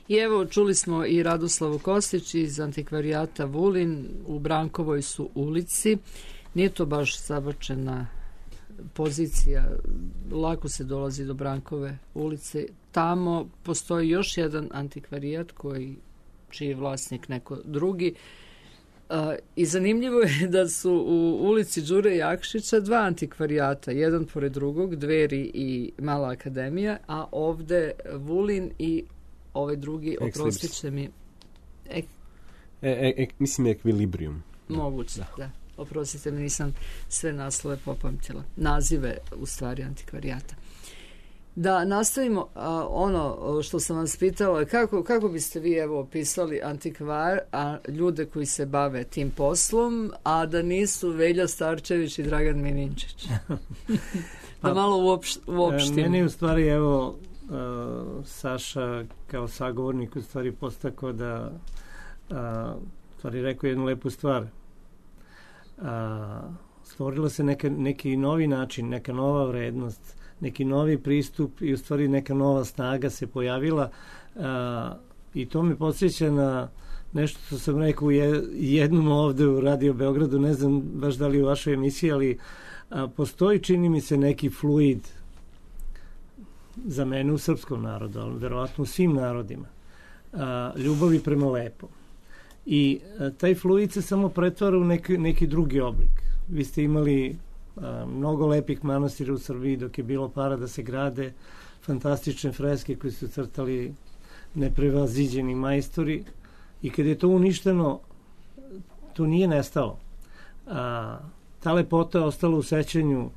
I evo, čuli smo i Radoslavu Kostić iz antikvarijata Vulin, u Brankovoj su ulici. Nije to baš zabačena pozicija, lako se dolazi do Brankove ulice. Tamo postoji još jedan antikvarijat čiji je vlasnik neko drugi. I zanimljivo je da su u ulici Đure Jakšića dva antikvarijata, jedan pored drugog, Dveri i Mala akademija, a ovde Vulin i ovaj drugi, oprostiće mi... Mislim Ekvilibrium. Moguće, da. Oprostite mi, nisam sve naslove popamtila. Nazive, u stvari, antikvarijata. Da nastavimo ono što sam vas pitala, kako biste vi evo opisali antikvar, a ljude koji se bave tim poslom, a da nisu Velja Starčević i Dragan Mininčić? Da malo uopštimo. Meni u stvari, evo, Saša kao sagovornik u stvari postakao da stvari rekao jednu lepu stvar. Stvorila se neki novi način, neka nova vrednost, neki novi pristup i u stvari neka nova snaga se pojavila i to me podsjeća na nešto što sam rekao jednom ovde u Radio Beogradu, ne znam baš da li u vašoj emisiji, ali postoji, čini mi se, neki fluid za mene u srpskom narodu, ali verovatno u svim narodima, ljubavi prema lepom. I taj fluid se samo pretvara u neki drugi oblik. Vi ste imali mnogo lepih manastira u Srbiji dok je bilo para da se grade, fantastične freske koje su crtali neprevaziđeni majstori, i kad je to uništeno, to nije nestalo. Ta lepota je ostala u sećanju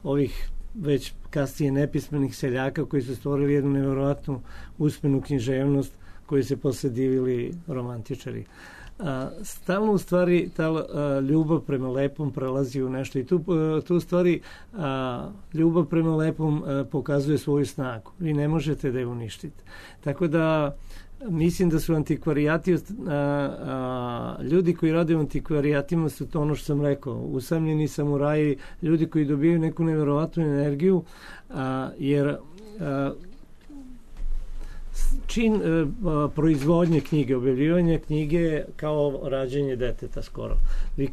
ovih već kasnije nepismenih seljaka koji su stvorili jednu nevjerovatnu usmenu književnost koju se posle divili romantičari. stalno u stvari ta ljubav prema lepom prelazi u nešto i tu u stvari ljubav prema lepom pokazuje svoju snagu. Vi ne možete da je uništite. Tako da mislim da su antikvarijati, ljudi koji rade u antikvarijatima su to ono što sam rekao, usamljeni samuraji, ljudi koji dobijaju neku nevjerovatnu energiju, jer čin proizvodnje knjige, objavljivanje knjige kao rađenje deteta skoro. Vi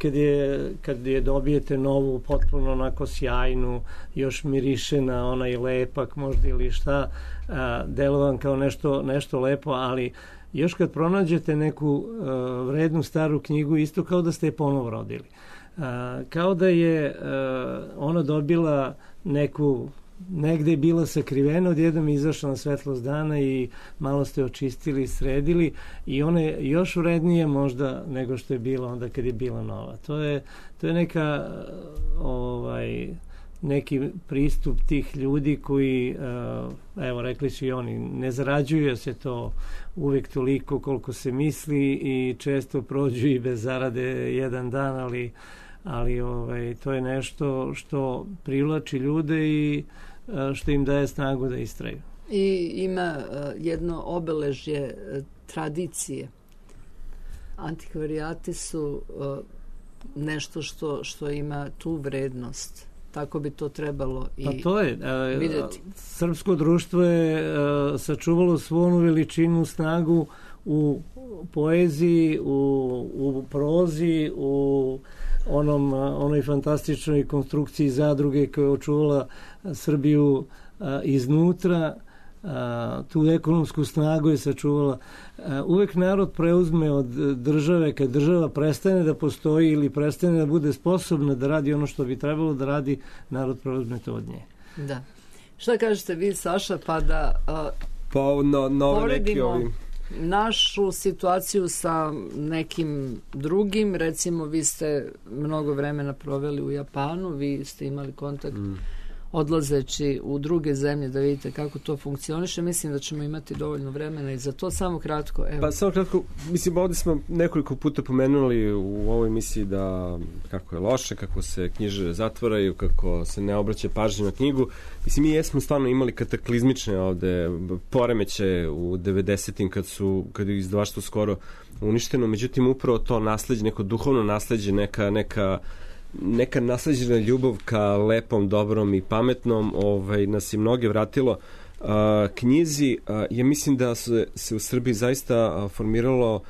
kad je dobijete novu, potpuno onako sjajnu, još miriše na onaj lepak možda ili šta, delovan kao nešto lepo, ali još kad pronađete neku vrednu staru knjigu, isto kao da ste je ponovo rodili. Kao da je ona dobila neku, negde je bila sakrivena, odjednom je izašla na svetlost dana i malo ste očistili, sredili i ona je još vrednije možda nego što je bila onda kad je bila nova. To je neka neki pristup tih ljudi koji, evo rekli su i oni, ne zarađuje se to uvek toliko koliko se misli i često prođu i bez zarade jedan dan, ali to je nešto što privlači ljude i što im daje snagu da istraju. I ima jedno obeležje tradicije. Antikvarijati su nešto što ima tu vrednost. Tako bi to trebalo i vidjeti. Pa to je. Srpsko društvo je sačuvalo svu onu veličinu, snagu u poeziji, u prozi, u onoj fantastičnoj konstrukciji zadruge koja je očuvala Srbiju iznutra, tu ekonomsku snagu je sačuvala. Uvek narod preuzme od države, kad država prestane da postoji ili prestane da bude sposobna da radi ono što bi trebalo da radi, narod preuzme to od nje. Da. Šta kažete vi, Saša, pa da poredimo našu situaciju sa nekim drugim, recimo vi ste mnogo vremena proveli u Japanu, vi ste imali kontakt odlazeći u druge zemlje da vidite kako to funkcioniše. Mislim da ćemo imati dovoljno vremena i za to. Samo kratko. Evo. Pa samo kratko, mislim, ovdje smo nekoliko puta pomenuli u ovoj emisiji da kako je loše, kako se knjižare zatvaraju, kako se ne obraća pažnje na knjigu. Mislim, mi jesmo stvarno imali kataklizmične ovde poremeće u 90-im kad je izdavaštvo skoro uništeno. Međutim, upravo to nasleđe, neko duhovno nasleđe, neka nasleđena ljubav ka lepom, dobrom i pametnom nas je mnoge vratilo knjizi. Ja mislim da se u Srbiji zaista formiralo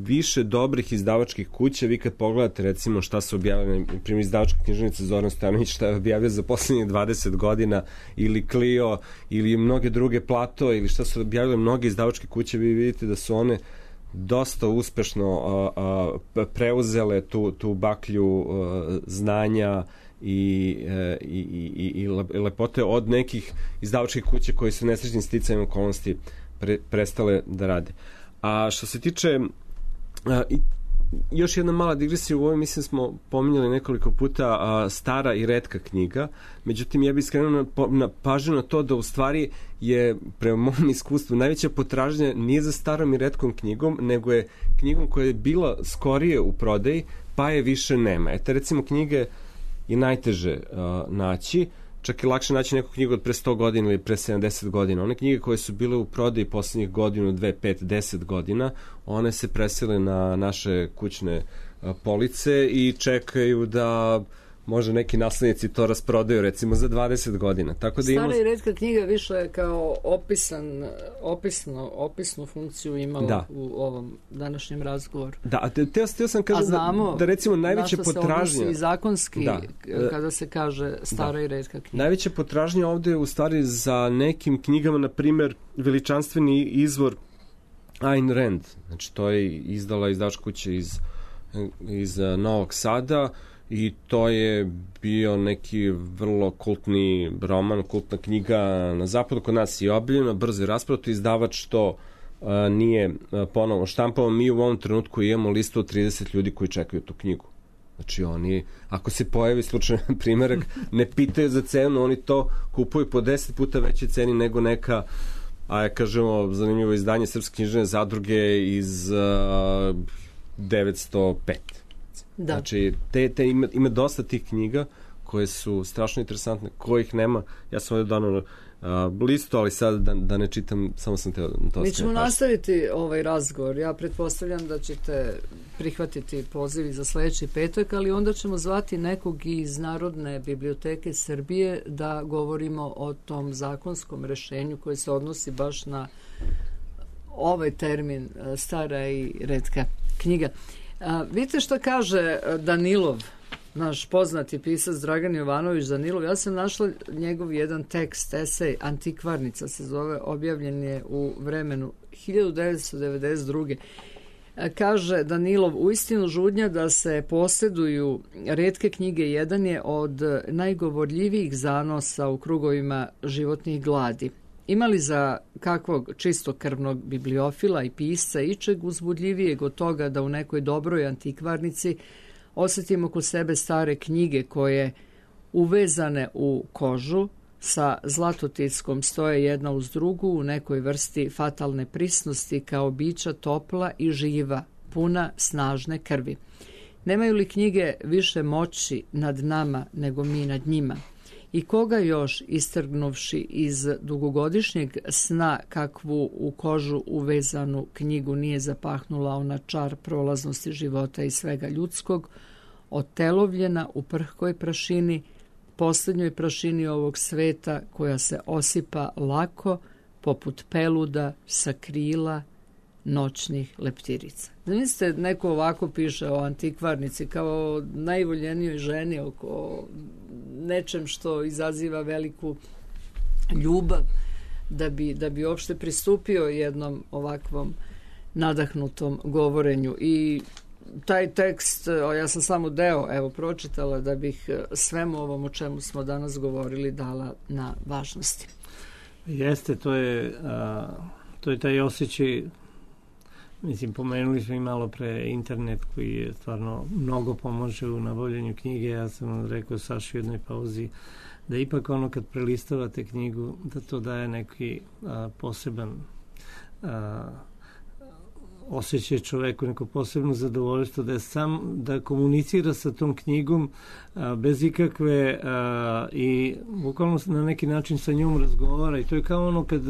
više dobrih izdavačkih kuća. Vi kad pogledate recimo šta su objavili, na primjer izdavačka književnica Zoran Stojanović šta je objavio za poslednjih 20 godina, ili Clio, ili mnoge druge, Plato, ili šta su objavile mnoge izdavačke kuće, vi vidite da su one dosta uspešno preuzele tu baklju znanja i lepote od nekih izdavačkih kuća koji su nesrećnim sticajem okolnosti prestale da rade. A što se tiče još jedna mala digresija, u ovoj mislim smo pominjali nekoliko puta stara i retka knjiga, međutim ja bih skrenuo na pažnju na to da u stvari je prema mom iskustvu najveća potražnja nije za starom i retkom knjigom, nego je knjigom koja je bila skorije u prodaji pa je više nema. Eto, recimo knjige je najteže naći, čak je lakše naći neku knjigu od pre 100 godina ili pre 70 godina. One knjige koje su bile u prodaji poslednjih godinu, 2, 5, 10 godina, one se presele na naše kućne police i čekaju da možda neki naslednici to rasprodaju recimo za 20 godina. Tako da stara i retka knjiga više kao opisnu funkciju ima u ovom današnjem razgovoru. Da, a teo sam kažem da recimo najveća potražnja... A znamo na što se odnosi i zakonski kada se kaže stara i retka knjiga. Najveća potražnja ovde je u stvari za nekim knjigama, na primer veličanstveni izvor Ayn Rand. Znači to je izdala izdavačka kuća iz Novog Sada, i to je bio neki vrlo kultni roman, kultna knjiga na zapadu, kod nas je objavljeno, brzo je rasprodato, izdavač to nije ponovo štampao. Mi u ovom trenutku imamo listu od 30 ljudi koji čekaju tu knjigu. Znači oni, ako se pojavi slučajno primerak, ne pitaju za cenu, oni to kupuju po 10 puta veće ceni nego neka a kažemo zanimljivo izdanje Srpske književne zadruge iz 905. Da. Znači, ima dosta tih knjiga koje su strašno interesantne, kojih nema. Ja sam ovdje donao listu, ali sad da ne čitam, samo sam teo to. Mi ćemo nastaviti ovaj razgovor. Ja pretpostavljam da ćete prihvatiti poziv za sledeći petak, ali onda ćemo zvati nekog iz Narodne biblioteke Srbije da govorimo o tom zakonskom rešenju koje se odnosi baš na ovaj termin stara i retka knjiga. Vidite što kaže Danilov, naš poznati pisac Dragan Jovanović Danilov. Ja sam našla njegov jedan tekst, esej, Antikvarnica se zove, objavljen je u vremenu 1992. Kaže Danilov, uistinu žudnja da se posjeduju retke knjige jedan je od najgovorljivijih zanosa u krugovima životnih gladi. Imali za kakvog čistokrvnog bibliofila i pisca ičeg uzbudljivijeg od toga da u nekoj dobroj antikvarnici osjetimo kod sebe stare knjige koje uvezane u kožu sa zlatotickom stoje jedna uz drugu u nekoj vrsti fatalne prisnosti kao bića topla i živa, puna snažne krvi. Nemaju li knjige više moći nad nama nego mi nad njima? I koga još, istrgnuvši iz dugogodišnjeg sna kakvu u kožu uvezanu knjigu nije zapahnula ona čar prolaznosti života i svega ljudskog, otelovljena u prhkoj prašini, posljednjoj prašini ovog sveta koja se osipa lako poput peluda sa krila noćnih leptirica. Zamislite, neko ovako piše o antikvarnici kao najvoljenijoj ženi, oko nečem što izaziva veliku ljubav, da bi uopšte pristupio jednom ovakvom nadahnutom govorenju. I taj tekst, ja sam samo deo pročitala da bih svemu ovom o čemu smo danas govorili dala na važnosti. Jeste, to je taj osjećaj. Mislim, pomenuli smo i malo pre internet koji je stvarno mnogo pomože u nabavljanju knjige. Ja sam rekao Saši u jednoj pauzi da ipak ono kad prelistavate knjigu da to daje neki poseban osjećaj čoveku, neko posebno zadovoljstvo da komunicira sa tom knjigom bez ikakve i bukvalno na neki način sa njom razgovara i to je kao ono kad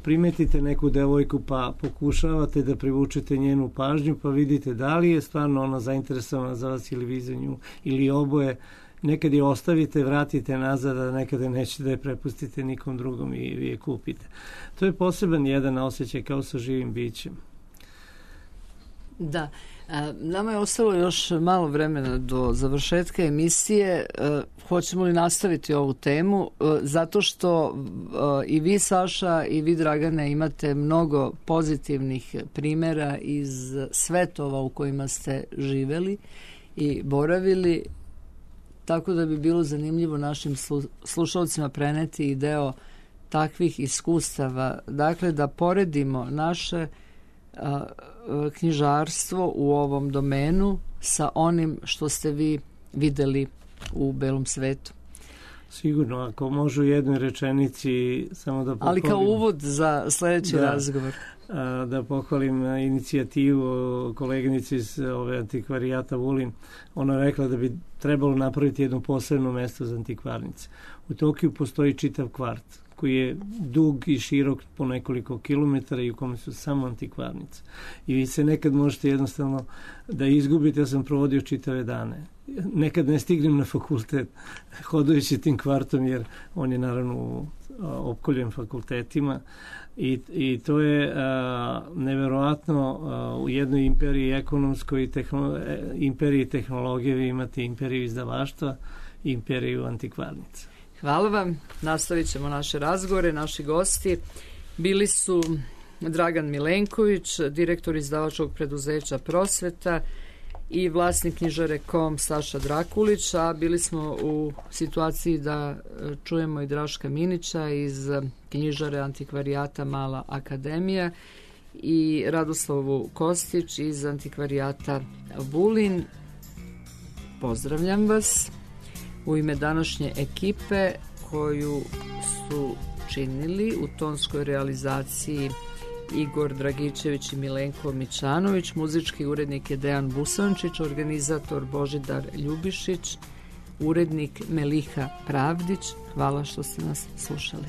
primetite neku devojku pa pokušavate da privučete njenu pažnju pa vidite da li je stvarno ona zainteresovana za vas ili vi za nju ili oboje. Nekad je ostavite, vratite nazad, a nekada nećete da je prepustite nikom drugom i vi je kupite. To je poseban jedan osjećaj kao sa živim bićem. Da. Nama je ostalo još malo vremena do završetka emisije. Hoćemo li nastaviti ovu temu? Zato što i vi, Saša, i vi, Dragane, imate mnogo pozitivnih primjera iz svetova u kojima ste živeli i boravili, tako da bi bilo zanimljivo našim slušalcima preneti i deo takvih iskustava. Dakle, da poredimo naše knjižarstvo u ovom domenu sa onim što ste vi videli u belom svetu. Sigurno, ako može u jednoj rečenici samo da pohvalim. Ali kao uvod za sledeći razgovor. Da pohvalim inicijativu koleginice iz antikvarijata Vulin. Ona je rekla da bi trebalo napraviti jedno posebno mesto za antikvarnice. U Tokiju postoji čitav kvart koji je dug i širok po nekoliko kilometara i u kome su samo antikvarnice. I vi se nekad možete jednostavno da izgubite. Ja sam provodio čitave dane. Nekad ne stignem na fakultet hodajući tim kvartom jer on je naravno opkoljen fakultetima i to je neverovatno u jednoj imperiji ekonomskoj imperiji tehnologije vi imate imperiju izdavaštva i imperiju antikvarnica. Hvala vam. Nastavit ćemo naše razgovore. Naši gosti bili su Dragan Milenković, direktor izdavačkog preduzeća Prosveta i vlasnik knjižare KOM Saša Drakulić, a bili smo u situaciji da čujemo i Draška Minića iz knjižare antikvarijata Mala akademija i Radoslavu Kostić iz antikvarijata Vulin. Pozdravljam vas u ime današnje ekipe koju su činili. U tonskoj realizaciji Igor Dragičević i Milenko Mićanović, muzički urednik je Dejan Busančić, organizator Božidar Ljubišić, urednik Meliha Pravdić. Hvala što ste nas slušali.